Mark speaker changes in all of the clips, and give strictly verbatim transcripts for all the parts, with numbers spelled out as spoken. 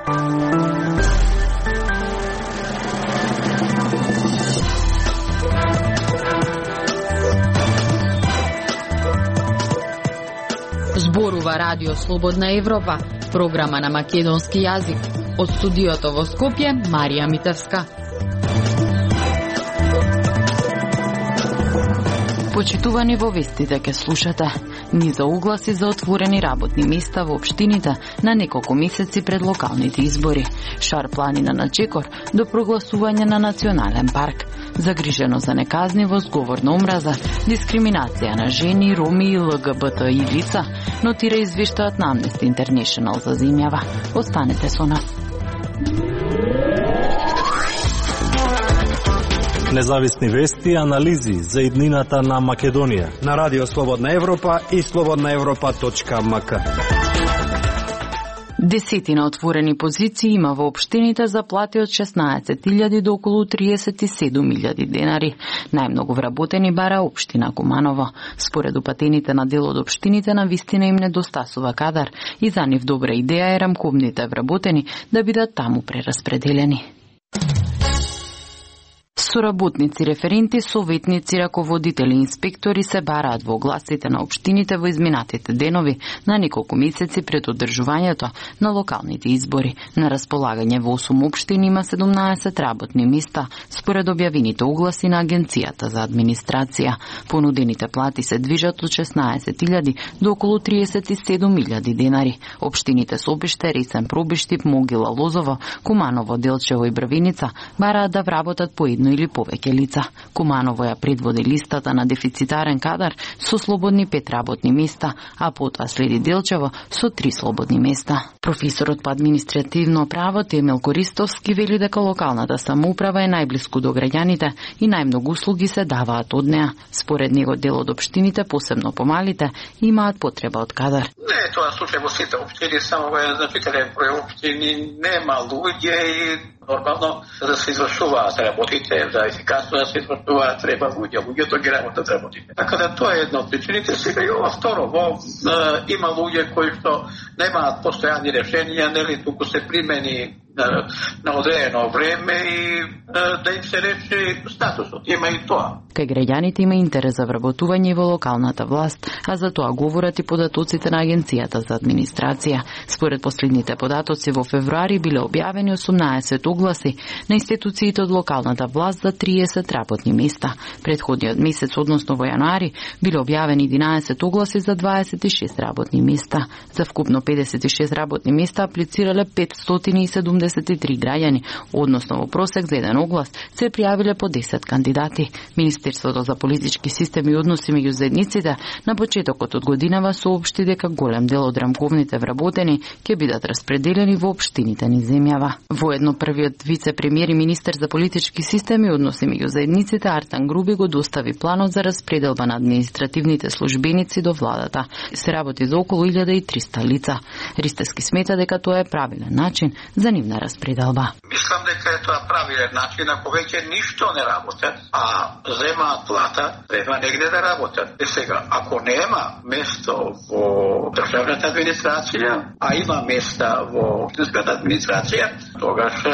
Speaker 1: Зборува Радио Слободна Европа, програма на македонски јазик. Од студиото во Скопје, Марија Митевска. Почитувани, во вестите ке слушате низа угласи за отворени работни места во општините на неколку месеци пред локалните избори. Шар планина на чекор до прогласување на национален парк. Загрижено за неказниво, зговор на омраза, дискриминација на жени, роми и ЛГБТИ лица, нотира извештајот на Amnesty International за земјава. Останете со нас.
Speaker 2: Независни вести и анализи за иднината на Македонија
Speaker 3: на Радио Слободна Европа и слободна европа точка ем ка.
Speaker 1: Десетина отворени позиции има во општините за плати од шеснаесет илјади до околу триесет и седум илјади денари. Најмногу вработени бара општина Куманово. Според упатените на дел од општините, на вистина им недостасува кадар и за нив добра идеја е рамковните вработени да бидат таму прераспределени. Соработници, референти, советници, раководители, инспектори се бараат во огласите на општините во изминатите денови на неколку месеци пред одржувањето на локалните избори. На располагање во осум општини има седумнаесет работни места, според објавените огласи на Агенцијата за администрација. Понудените плати се движат од шеснаесет илјади до околу триесет и седум илјади денари. Општините Собиште, Ресен, Пробиштип, Могила, Лозово, Куманово, Делчево и Бравиница бараат да вработат по едно или повеќе лица. Куманово ја предводи листата на дефицитарен кадар со слободни пет работни места, а потоа следи Делчево со три слободни места. Професорот по административно право Темел Користовски вели дека локалната самоуправа е најблиску до граѓаните и најмногу услуги се даваат од неа. Според него дел од општините, посебно помалите, имаат потреба од кадар.
Speaker 4: Не е тоа случај во сите општини, само во еден значителен број општини нема луѓе и нормално да се извршуваат работите, за ефикасно да се извршуваат треба луѓе, луѓето ги работат работите. Така да тоа е една од причините. Сега и ова второ, во е, има луѓе кои што немаат постојани решенија, нели туку се примени на, на одредено време и да им се рече статусот. Има и тоа.
Speaker 1: Кај граѓаните има интерес за вработување во локалната власт, а за тоа говорат и податоците на Агенцијата за администрација. Според последните податоци во февруари биле објавени осумнаесет огласи на институциите од локалната власт за триесет работни места. Претходниот месец, односно во јануари, биле објавени единаесет огласи за дваесет и шест работни места. За вкупно педесет и шест работни места аплицирале петстотини и седумдесет и три граѓани, односно во просек за еден оглас се пријавиле по десет кандидати. Министерството за политички системи и односи меѓу заедниците на почетокот од годинава соопшти дека голем дел од рамковните вработени ќе бидат распределени во општините низ земјава. Воедно првиот вице-премиер и министер за политички системи и односи меѓу заедниците Артан Груби го достави планот за распределба на административните службеници до владата. Се работи за околу илјада и триста лица. Ристевски смета дека тоа е правилен начин за нивна распределба.
Speaker 4: Мислам дека е тоа правилен начин, ако веќе ништо не работат, а земаат плата, треба негде да работат. И сега, ако нема место во државната администрација, а има места во општинската администрација, тогаш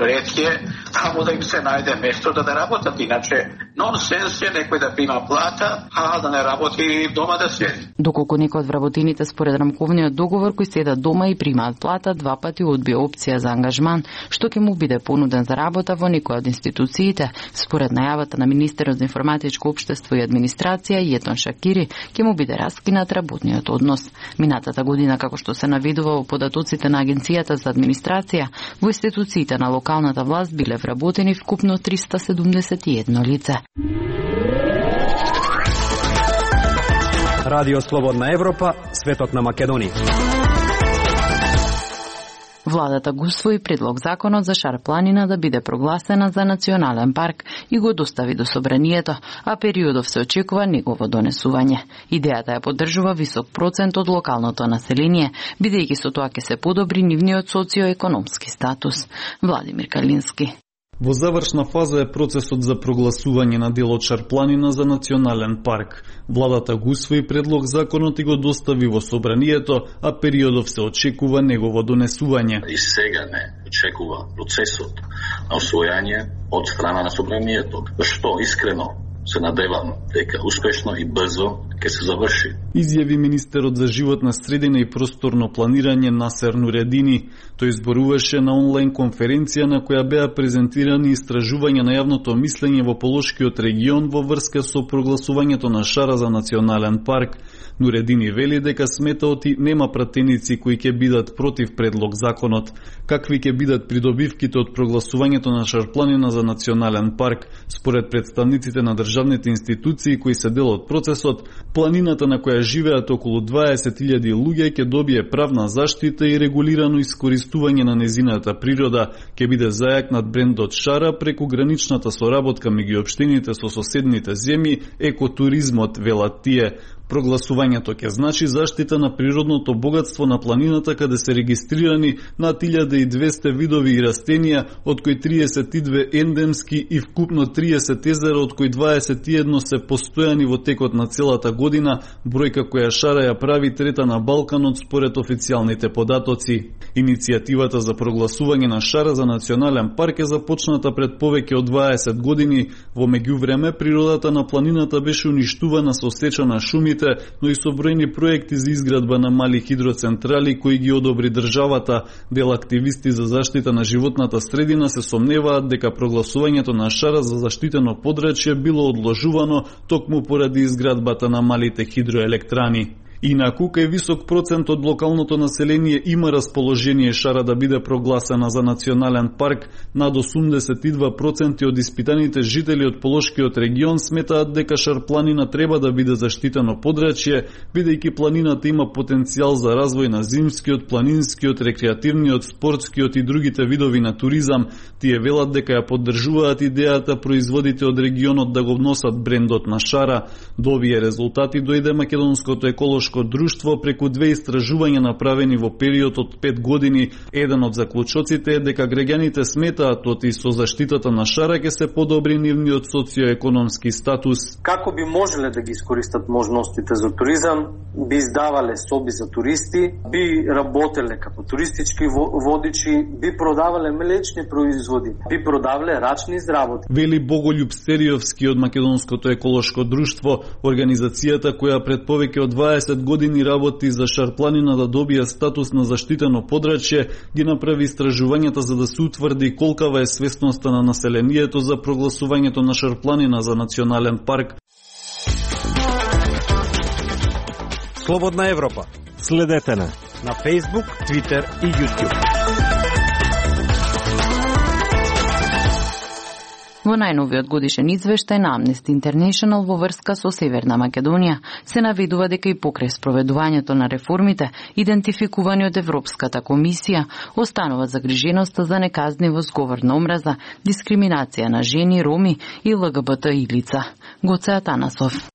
Speaker 4: ред е таму да им се најде место да да работат. Иначе нонсенс е некој да прима плата, а да не работи дома да седи.
Speaker 1: Доколку некој од вработените според рамковниот договор кои седат дома и примаат плата, два пати одбија опција за ангажман, што ќе му биде понуден за работа во некоја од институциите, според најавата на министерот за информатичко општество и администрација Јетон Шакири, ќе му биде раскинат работниот однос. Минатата година, како што се наведува во податоците на Агенцијата за администрација, во институциите на локалната власт биле вработени вкупно триста седумдесет и едно лице.
Speaker 3: Радио Слободна Европа, светот на Македонија.
Speaker 1: Владата го усвои предлог законот за Шар планина да биде прогласена за национален парк и го достави до собранието, а периодов се очекува негово донесување. Идејата ја поддржува висок процент од локалното население, бидејќи со тоа ќе се подобри нивниот социоекономски статус. Владимир Калински.
Speaker 5: Во завршна фаза е процесот за прогласување на делот Шарпланина за национален парк. Владата го усвои предлог законот и го достави во собранието, а периодов се очекува негово донесување.
Speaker 6: И сега не очекува процесот на освојање од страна на собранието, што искрено се надевам дека успешно и брзо ќе се заврши.
Speaker 5: Изјави министерот за животна средина и просторно планирање Насер Нуредини. Тој зборуваше на онлайн конференција на која беа презентирани истражувања на јавното мислење во Полошкиот регион во врска со прогласувањето на Шара за национален парк. Нуредини вели дека сметаоти нема пратеници кои ќе бидат против предлог законот. Какви ќе бидат придобивките од прогласувањето на Шарпланина за национален парк? Според представниците на државните институции кои се дел од процесот, планината на која живеат околу дваесет илјади луѓе ќе добие правна заштита и регулирано искористување на незината природа, ќе биде зајакнат брендот Шара преку граничната соработка меѓу општините со соседните земји, екотуризмот, велат тие. Прогласувањето ќе значи заштита на природното богатство на планината каде се регистрирани над илјада и двесте видови и растенија, од кои триесет и две ендемски и вкупно триесет езера, од кои дваесет и едно се постојани во текот на целата година, бројка која Шара ја прави трета на Балканот според официјалните податоци. Иницијативата за прогласување на Шара за национален парк е започната пред повеќе од дваесет години. Во меѓувреме природата на планината беше уништувана со сеча на шумите, но и со бројни проекти за изградба на мали хидроцентрали кои ги одобри државата. Дел активисти за заштита на животната средина се сомневаат дека прогласувањето на Шара за заштитено подрачје било одложувано токму поради изградбата на малите хидроелектрани. Инаку, кај висок процент од локалното население има расположение Шара да биде прогласена за национален парк, над осумдесет и два проценти од испитаните жители од Полошкиот регион сметаат дека Шарпланина треба да биде заштитено подрачје, бидејќи планината има потенцијал за развој на зимскиот, планинскиот, рекреативниот, спортскиот и другите видови на туризам. Тие велат дека ја поддржуваат идејата производите од регионот да го вносат брендот на Шара. До овие резултати дојде Македонското еколошко друштво преку две истражувања направени во период од пет години. Еден од заклучоците е дека граѓаните сметаат оти со заштитата на Шара ќе се подобри нивниот социоекономски статус.
Speaker 7: Како би можеле да ги искористат можностите за туризам? Би издавале соби за туристи, би работеле како туристички водичи, би продавале млечни производи, би продавале рачни изработки.
Speaker 5: Вели Боголјуб Стериовски од Македонското еколошко друштво, организацијата која пред повеќе од дваесет години работи за Шарпланина да добие статус на заштитено подрачје, ги направи истражувањата за да се утврди колкава е свесноста на населението за прогласувањето на Шарпланина за национален парк.
Speaker 3: Слободна Европа.
Speaker 2: Следете на
Speaker 3: на Facebook, Twitter и YouTube.
Speaker 1: Во најновиот годишен извештај на Amnesty International во врска со Северна Македонија се наведува дека и покрај спроведувањето на реформите, идентификувани од Европската комисија, останува загриженоста за неказнивост, говор на омраза, дискриминација на жени, роми и ЛГБТИ лица. Гоце Атанасов.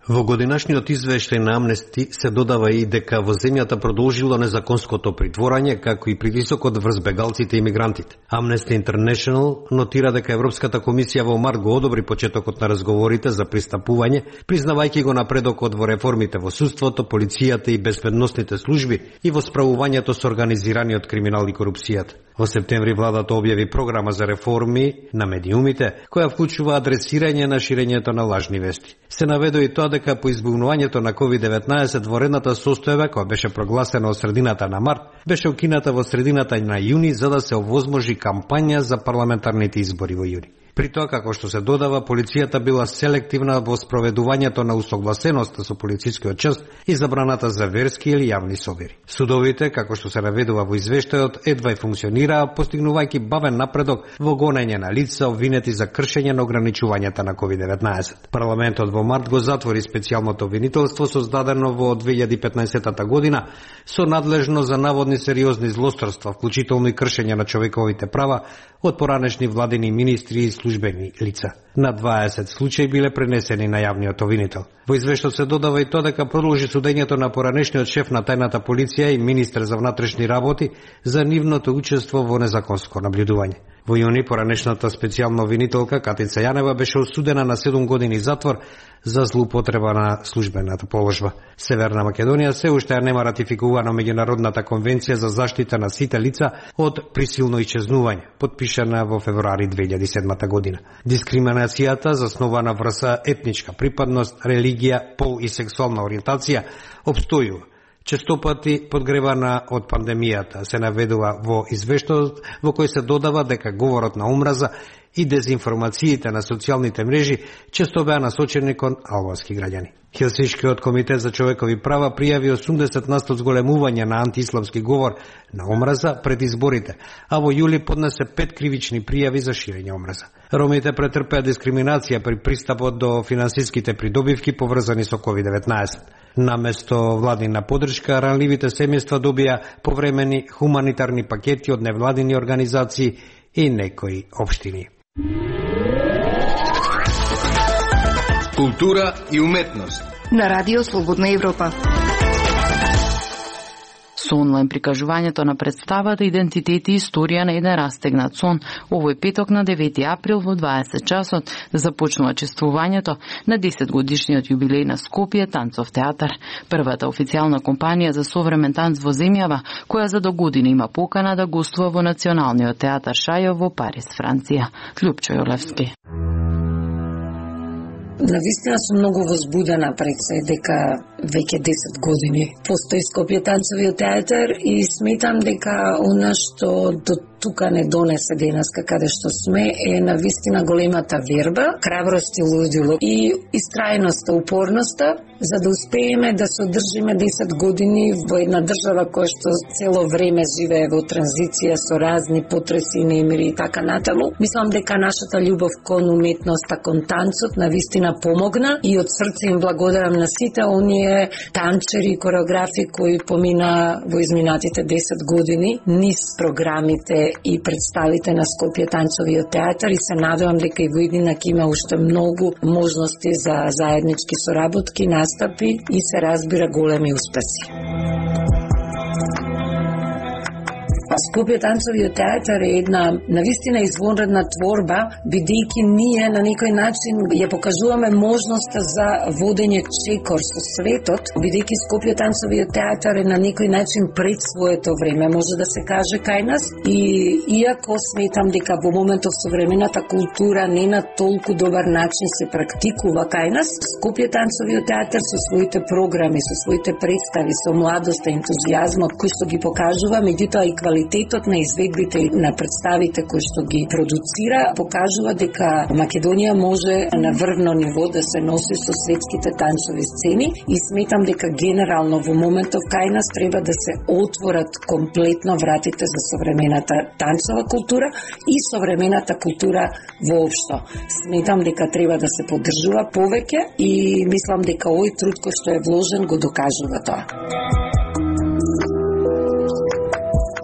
Speaker 8: Во годинашниот извештај на Амнести се додава и дека во земјата продолжило незаконското притворање, како и притисокот врз бегалците и мигрантите. Amnesty International нотира дека Европската комисија во март го одобри почетокот на разговорите за пристапување, признавајќи го напредокот во реформите во судството, полицијата и безбедносните служби и во справувањето со организираниот криминал и корупцијата. Во септември владата објави програма за реформи на медиумите, која вклучува адресирање на ширењето на лажни вести. Се наведува и тоа дека по избугнувањето на ковид деветнаесет воредната состојба, која беше прогласена од средината на март, беше укината во средината на јуни за да се овозможи кампања за парламентарните избори во јуни. При тоа, како што се додава, полицијата била селективна во спроведувањето на усогласеноста со полицискиот час и забраната за верски или јавни собири. Судовите, како што се наведува во извештајот, едва и функционираа, постигнувајќи бавен напредок во гонење на лица обвинети за кршење на ограничувањата на ковид деветнаесет. Парламентот во март го затвори специјалното обвинителство создадено во две илјади и петнаесета година со надлежно за наводни сериозни злосторства, вклучително и кршење на човековите права од поранешни владини министри и службени лица. На дваесет случаи биле пренесени на јавниот обвинител. Во извештајот се додава и тоа дека продолжи судењето на поранешниот шеф на тајната полиција и министер за внатрешни работи за нивното учество во незаконско наблюдување. Во јуни поранешната специјална обвинителка Катица Јанева беше осудена на седум години затвор за злоупотреба на службената положба. Северна Македонија се уште нема ратификувана меѓународната конвенција за заштита на сите лица од присилно исчезнување, потпишана во февруари две илјади и седма година. Дискриминацијата заснована врз етничка припадност, религија, пол и сексуална ориентација опстојува, често пати подгревана од пандемијата, се наведува во извештајот во кој се додава дека говорот на омраза и дезинформациите на социјалните мрежи често беа насочени кон албански граѓани. Хелсиншкиот комитет за човекови права пријави осумдесет на сто зголемување на антиисламски говор на омраза пред изборите, а во јули поднесе пет кривични пријави за ширење омраза. Ромите претрпеа дискриминација при пристапот до финансиските придобивки поврзани со ковид деветнаесет. Наместо владина поддршка, ранливите семејства добија повремени хуманитарни пакети од невладини организации и некои општини.
Speaker 3: Култура и уметност
Speaker 9: на Радио Слободна Европа.
Speaker 1: Со онлайн прикажувањето на представата Идентитет и историја на еден растегнат сон, овој петок на девети април во дваесет часот започнува чествувањето на десет годишниот јубилеј на Скопје танцов театар, првата официјална компанија за современ танц во земјава, која за до година има покана да гостува во Националниот театар Шајо во Париз, Франција. Љупчо Јолевски.
Speaker 10: Навистина сум многу возбудена пред се дека веќе десет години постои Скопје танцовиот театар и сметам дека она што до тука не донесе денеска каде што сме е навистина големата верба, храброст и лудило и истрајноста, упорноста за да успееме да се одржиме десет години во една држава која што цело време живее во транзиција со разни потреси, немири и така натаму. Мислам дека нашата љубов кон уметноста, кон танцот навистина помогна и од срце им благодарам на сите оние танчери и кореографи кои помина во изминатите десет години низ програмите и представите на Скопје танцовиот театар и се надевам дека и во иднина ќе има уште многу можности за заеднички соработки, настапи и се разбира големи успеси. Скопје танцовиот театар е една навистина извонредна творба, бидејќи ние на некој начин ја покажуваме можноста за водење чекор со светот, бидејќи Скопје танцовиот театар е на некој начин пред своето време, може да се каже кај нас, и иако сметам дека во моментов современата култура не на толку добар начин се практикува кај нас, Скопје танцовиот театар со своите програми, со своите представи, со младоста, ентузијазмот кој што ги покажува, меѓутоа и квалитет Квалитетот на изведбите на представите кои што ги продуцира покажува дека Македонија може на врвно ниво да се носи со светските танцови сцени и сметам дека генерално во моментов кај нас треба да се отворат комплетно вратите за современата танцова култура и современата култура воопшто. Сметам дека треба да се поддржува повеќе и мислам дека овој труд кој што е вложен го докажува тоа.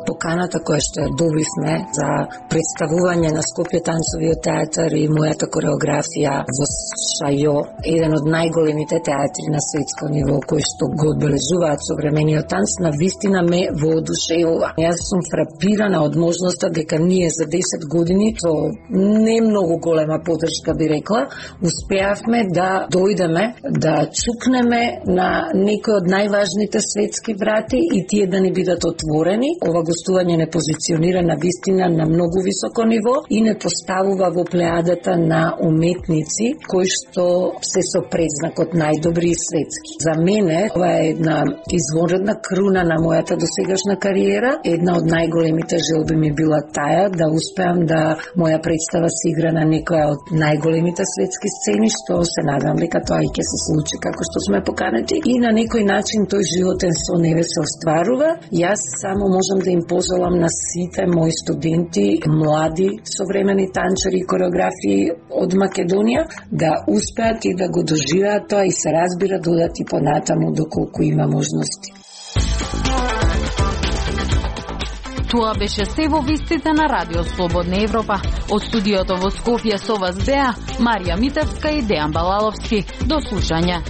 Speaker 10: Поканата која што ја добивме за представување на Скопје танцовиот театар и мојата кореографија во Шајо, еден од најголемите театри на светско ниво кои што го одбележуваат современиот танц, навистина ме воодушевува. Јас сум фрапирана од можноста дека ние за десет години со не многу голема поддршка би рекла, успеавме да дојдеме, да чукнеме на некои од најважните светски врати и тие да ни бидат отворени. Ова гостување не позиционира на вистина на многу високо ниво и не поставува во плеадата на уметници кои што се со предзнакот најдобри и светски. За мене ова е една извонредна круна на мојата досегашна кариера. Една од најголемите желби ми била таа да успеам да моја представа се игра на некоја од најголемите светски сцени, што се надам дека тоа и ќе се случи како што сме поканети и на некој начин тој животен сон еве се остварува. Јас само можам да им пожелам на сите мои студенти, млади современи танчери и кореографи од Македонија да успеат и да го доживеат тоа и се разбира додат и понатаму доколку има можности.
Speaker 1: Тоа беше се во вестите на Радио Слободна Европа. Од студиото во Скопје со вас беа Марија Митевска и Дејан Балаловски. До слушање.